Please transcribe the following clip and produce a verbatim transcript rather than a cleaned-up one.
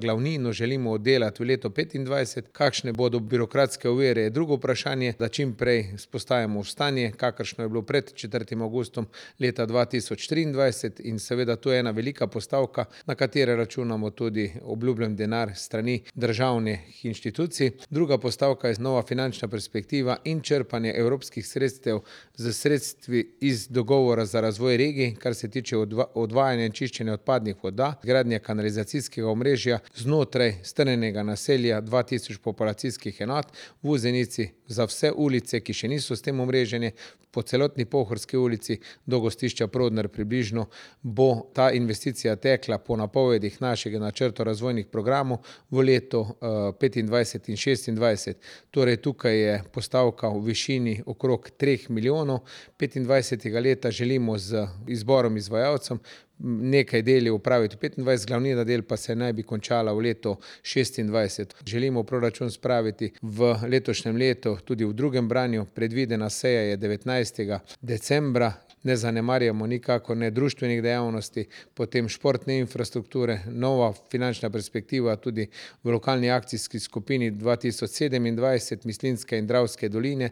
glavnino želimo oddelati v leto petindvajset, kakšne bodo birokratske ovire je drugo vprašanje, da čim prej vzpostavimo stanje, kakršno je bilo pred četrtim avgustom leta dva tisoč triindvajset, in seveda to je ena velika postavka, na katere računamo tudi obljubljen denar s strani državnih inštitucij. Druga postavka je nova finančna perspektiva in črpanje evropskih sredstev s sredstvi iz dogovora za razvoj regij, kar se tiče odvajanja in čiščenja odpadnih voda, gradnje kanalizacijskega omrežja znotraj strnjenega naselja dva tisoč populacijskih enot v Vuzenici za vse ulice, ki še niso s tem omrežene, po celotni Pohorski ulici do gostišča Prodnar približno bo ta investicija tekla po napovedih našega načrta razvojnih programov v letu petindvajset in šestindvajset. Torej tukaj je postavka v višini okrog treh milijonov. petindvajsetega leta želimo z izborom izvajalcev nekaj deli opraviti petindvajset, glavnina del pa se naj bi končala v letu šestindvajset. Želimo proračun spraviti v letošnjem letu tudi v drugem branju, predvidena seja je devetnajstega decembra. Ne zanemarjamo nikakor ne društvenih dejavnosti, potem športne infrastrukture, nova finančna perspektiva tudi v lokalni akcijski skupini dva tisoč sedemindvajset Mislinjske in Dravske doline